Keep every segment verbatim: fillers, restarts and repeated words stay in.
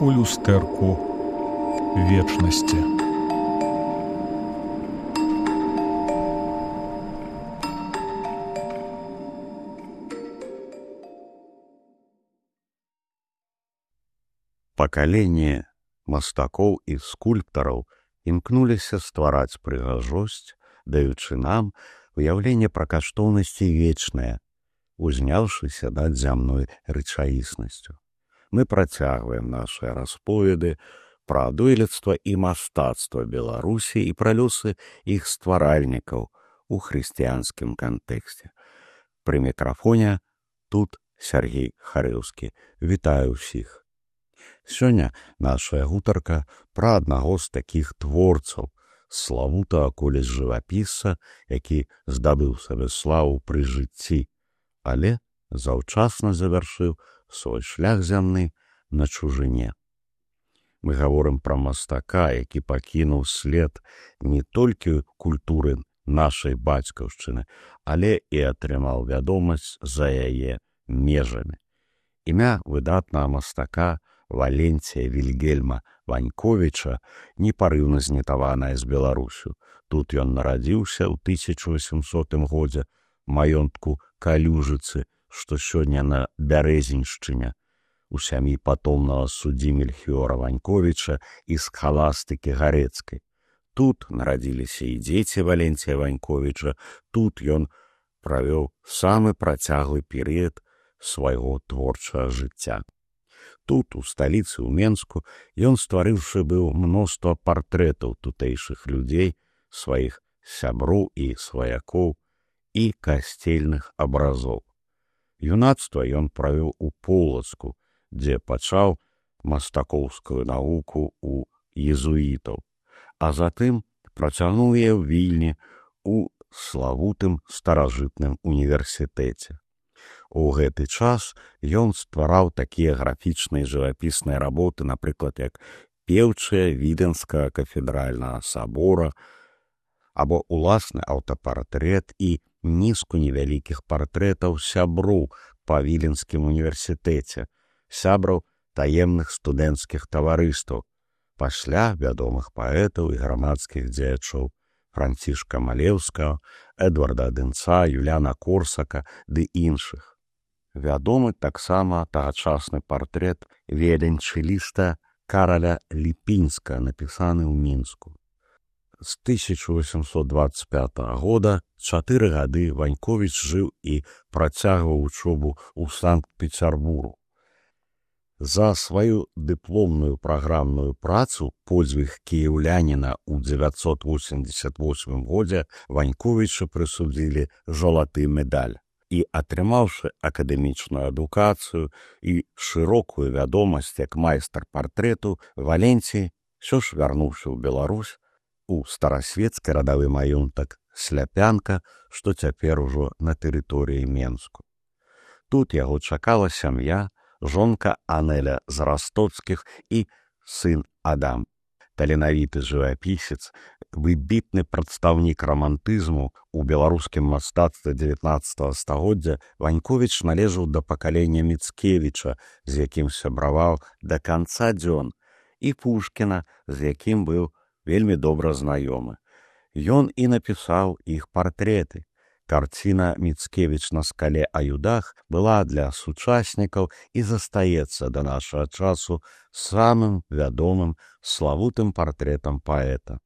у люстэрку вечнасці. Пакаленне мастакоў і скульптараў імкнуліся ствараць прыгажосць, даючы нам уяўленне пра каштоўнасці вечнае, узняўшыся над зямной рэчаіснасцю. Мы працягваем нашыя расповеды пра дойлідства і мастацтва Беларусі і пра лёсы іх стваральнікаў у хрысціянскім кантэксце. Пры мікрафоне тут Сергей Харэўскі. Вітаю ўсіх. Сёння нашая гутарка пра аднаго з такіх творцаў, славутага колісь жывапісца, які здабыў сабе славу пры жыцці, але заўчасна завяршыў свой шлях зямны на чужыне. Мы гаворым пра мастака, які пакінуў след не толькі культуры нашай бацькаўшчыны, але і атрымаў вядомасць за яе межамі. Імя выдатнага мастака Валенція Вільгельма Ваньковіча непарыўна знітаванае з Беларусю. Тут ён нарадзіўся ў тысяча васьмісотым годзе маёнтку Калюжыцы, што сёння на Бярэзіншчыне, у сям'і патомнага суддзі Мельхіёра Ваньковіча і схаластыкі Гарэцкай. Тут нарадзіліся і дзеці Валенція Ваньковіча, тут ён правёў самы працяглы перыяд свайго творчага жыцця. Тут, у сталіцы, у Менску, ён стварыўшы быў мноства партрэтаў тутэйшых людзей, сваіх сяброў і сваякоў і касцельных абразоў. Юнацтва ён правёў у Полацку, дзе пачаў мастакоўскую навуку ў езуітаў, а затым працягнуў яе ў Вільні у славутым старажытным універсітэце. У гэты час ён ствараў такія графічныя жывапісныя работы, напрыклад, як пеўчыя Відэнскага кафедральнага сабора, або уласны аўтапартрэт і нізку невялікіх партрэтаў сяброў па Віленскім універсітэце, сябраў таемных студэнцкіх таварыстваў, пасля вядомых паэтаў і грамадскіх дзеячоў Францішка Малеўскага, Эдварда Дынца, Юляна Корсака ды іншых. Вядомы таксама тагачасны партрэт віяланчэліста Караля Ліпінска, напісаны ў Мінску. З тысяча васьмісот дваццаць пятага года чатыры гады Ваньковіч жыў і працягваў вучобу ў Санкт-Пецярбургу. За сваю дыпломную праграмную працу «Подзвіг кіяўляніна» ў дзевяцьсот восемьдесят восьмым годзе Ваньковіча прысудзілі залаты медаль. І атрымаўшы акадэмічную адукацыю і шырокую вядомасць як майстар партрэту, Валенцій ўсё ж вярнуўся ў Беларусь у старасвецкі радавы маёнтак Сляпянка, што цяпер ужо на тэрыторыі Менску. Тут яго чакала сям'я, жонка Анеля з Растоцкіх і сын Адам. Таленавіты жывапісец, выбітны прадстаўнік рамантызму у беларускім мастацтве дзевятнаццатага стагоддзя, Ваньковіч належаў да пакалення Міцкевіча, з якім сябраваў да канца дзён, і Пушкіна, з якім быў вельмі добра знаёмы. Ён і напісаў іх партрэты. Карціна «Міцкевіч на скале Аюдах» была для сучаснікаў і застаецца да нашага часу самым вядомым славутым партрэтам паэта.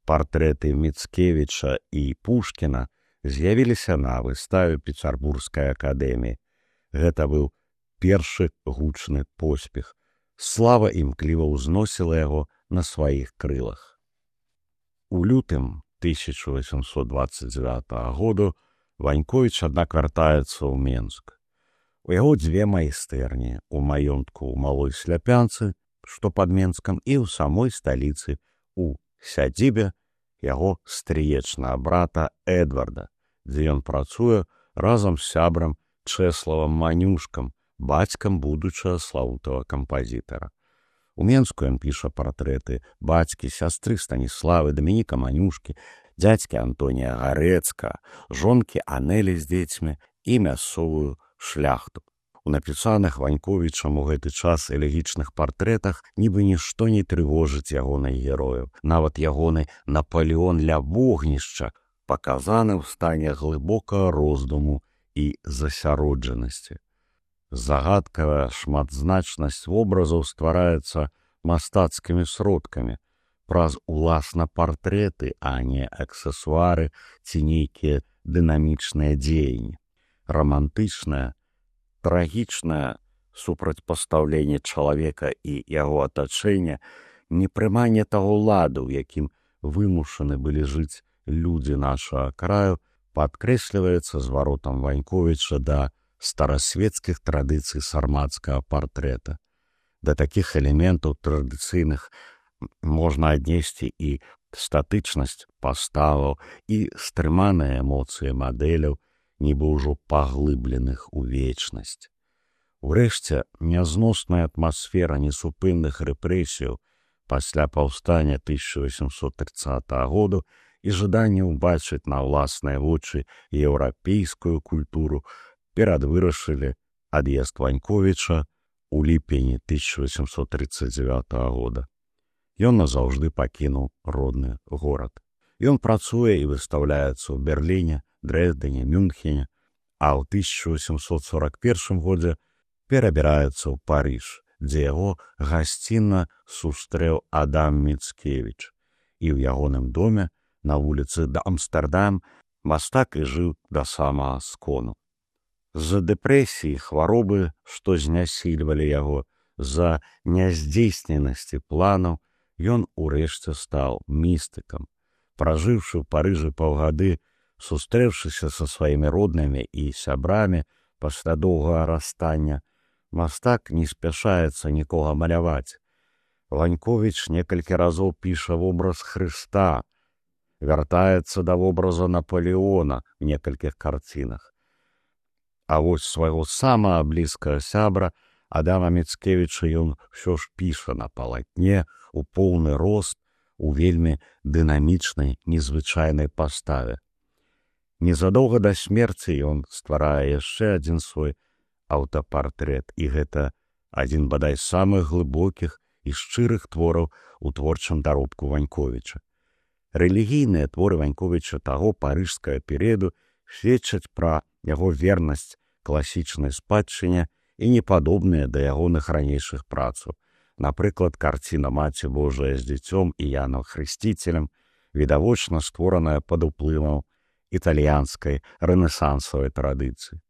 Партрэты Міцкевіча і Пушкіна з'явіліся на выставе Пецярбургскай акадэміі. Гэта быў першы гучны поспех. Слава імкліва ўзносіла яго на сваіх крылах. У лютым тысяча васьмісот дваццаць дзевятага году Ваньковіч, аднак, вяртаецца ў Менск. У яго дзве майстэрні, у маёнтку ў Малой Сляпянцы, што пад Менскам, і ў самой сталіцы, у сядзібе яго стрыечнага брата Эдварда, дзе ён працуе разам з сябрам Чэславам Манюшкам, бацькам будучага славутага кампазітара. У Менску ён піша партрэты бацькі, сястры Станіславы, Дамініка Манюшкі, дзядзькі Антонія Гарэцка, жонкі Анелі з дзецьмі і мясцовую шляхту. У напісаных Ваньковічам у гэты час элегічных партрэтах нібы нішто не трывожыць ягоных герояў. Нават ягоны Напалеон ля вогнішча паказаны ў стане глыбокага роздуму і засяроджанасці. Загадкавая шматзначнасць вобразаў ствараецца мастацкімі сродкамі, праз уласна партрэты, а не аксесуары ці нейкія дынамічныя дзеянні. Рамантычнае, трагічнае супрацьпастаўленне чалавека і яго атачэння, непрыманне таго ладу, у якім вымушаны былі жыць людзі нашага краю, падкрэсліваецца зваротам Ваньковіча да старасветскіх традыцый сармацкага партрэта. Да такіх элементаў традыцыйных можна аднесці і статычнасць паставаў, і стрыманыя эмоцыі мадэляў, нібы ўжо паглыбленых у вечнасць. Урэшце, нязносная атмасфера несупынных рэпрэсіяў пасля паўстання тысяча восемьсот тридцатого году і жаданне ўбачыць на ўласныя вочы еўрапейскую культуру перадвырашылі ад'езд Ваньковіча у ліпені тысяча восемьсот тридцать девятого года. Ён назаўжды пакінуў родны горад. Ён працуе і выстаўляецца ў Берліне, Дрэздене, Мюнхене, а ў тысяча восемьсот сорок первым годзе перабіраецца ў Париж, дзе яго гасцінна сустрэў Адам Міцкевіч. І ў ягоным доме на вуліцы Амстэрдам мастак і жыў да самага скону. З-за дэпрэсіі, хваробы, што знясільвалі яго, з-за няздзейсненасці планаў, ён урэшце стаў містыкам. Пражыўшы ў Парыжы паўгады, сустрэўшыся са сваімі роднымі і сябрамі пасля доўгага расстання, мастак не спяшаецца нікога маляваць. Ваньковіч некалькі разоў піша вобраз Хрыста, вяртаецца да вобраза Напалеона ў некалькіх карцінах. А вось свайго самага блізкага сябра Адама Міцкевіча ён ўсё ж піша на палатне у поўны рост, у вельмі дынамічнай, незвычайнай паставе. Незадоўга да смерці ён стварае яшчэ адзін свой аўтапартрэт, і гэта адзін бадай з самых глыбокіх і шчырых твораў у творчым даробку Ваньковіча. Рэлігійныя творы Ваньковіча таго парыжскага перыяду сведчаць пра яго вернасць класічнай спадчыне і непадобныя да ягоных ранейшых працаў. Напрыклад, карціна «Маці Божая з дзіцём» і Янам Хрысціцелем, відавочна створаная пад уплывам італьянскай рэнесансавай традыцыі.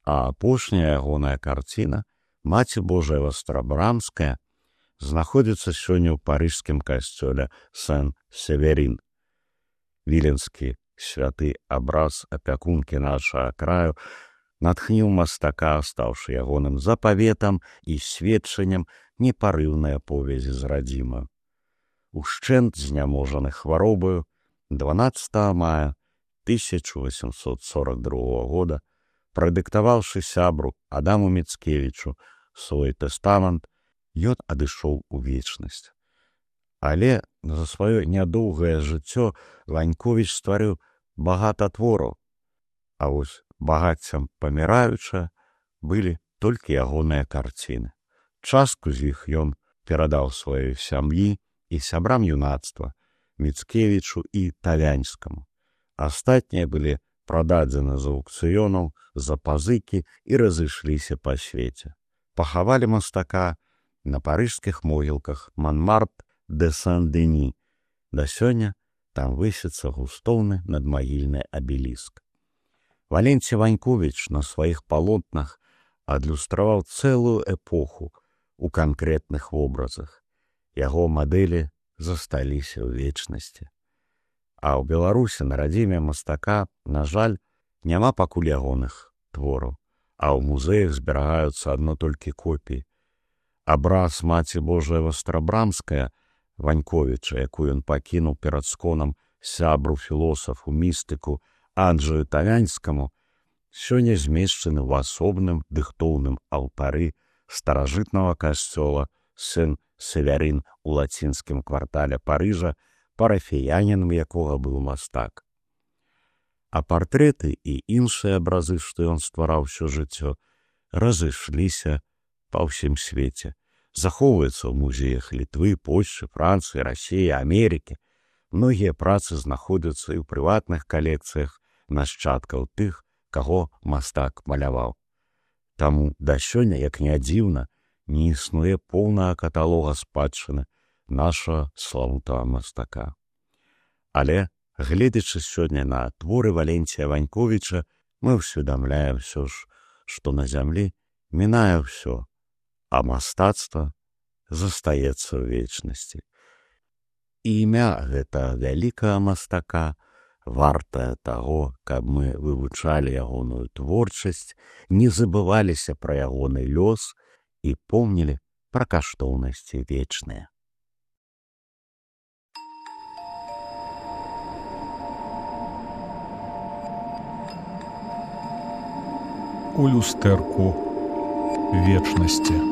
А апошняя ягоная карціна «Маці Божая Вастрабрамская» знаходзіцца сёння ў парыжскім касцёле Сен-Северін. Віленскі святы абраз апякункі нашага краю натхніў мастака, стаўшы ягоным запаветам і сведчаннем непарыўнай аповедзі з радзімаю. Ушчэнт зняможаны хваробаю, дванаццатага мая тысяча восемьсот сорок другого года, прадыктаваўшы сябру Адаму Міцкевічу свой тэстамент, ён адышоў у вечнасць. Але за сваё нядоўгае жыццё Ваньковіч стварыў багата твораў, а вось багаццям паміраюча былі толькі ягоныя карціны. Частку з іх ён перадаў сваёй сям'і і сябрам юнацтва Міцкевічу і Тавянскаму. Астатнія былі прададзены з аўкцыёнаў, за пазыкі і разышліся па свеце. Пахавалі мастака на парыжскіх могілках Монмарт де Сен-Дені. Да сёння там высіцца густоўны надмагільны абеліск. Валенцій Ваньковіч на сваіх палотнах адлюстраваў цэлую эпоху у канкрэтных вобразах. Яго мадэлі засталіся ў вечнасці. А ў Беларусі на радзіме мастака, на жаль, няма пакуль ягоных твораў, а ў музеях зберагаюцца адно толькі копіі. Абраз «Маці Божая Вастрабрамская» Ваньковіча, якую ён пакінуў перад сконам сябру філосафу, містыку Анджаю Тавянскаму, сёння змешчаны ў асобным дыхтоўным алтары старажытнага касцёла Сен-Северін у лацінскім квартале Парыжа, парафіянінам якога быў мастак. А партрэты і іншыя абразы, што ён ствараў усё жыццё, разышліся па ўсім свеце. Захоўваюцца ў музеях Літвы, Польшчы, Францыі, Расіі, Амерыкі. Многія працы знаходзяцца і ў прыватных калекцыях нашчадкаў тых, каго мастак маляваў. Таму да сёння, як не дзіўна, не існуе поўнага каталога спадчыны нашага славутага мастака. Але, гледзячы сёння на творы Валенція Ваньковіча, мы ўсведамляем ўсё ж, што на зямлі мінае ўсё, а мастацтва застаецца ў вечнасці. І імя гэта вялікага мастака вартае таго, каб мы вывучалі ягоную творчасць, не забываліся пра ягоны лёс і помнілі пра каштоўнасці вечныя. У люстэрку вечнасці.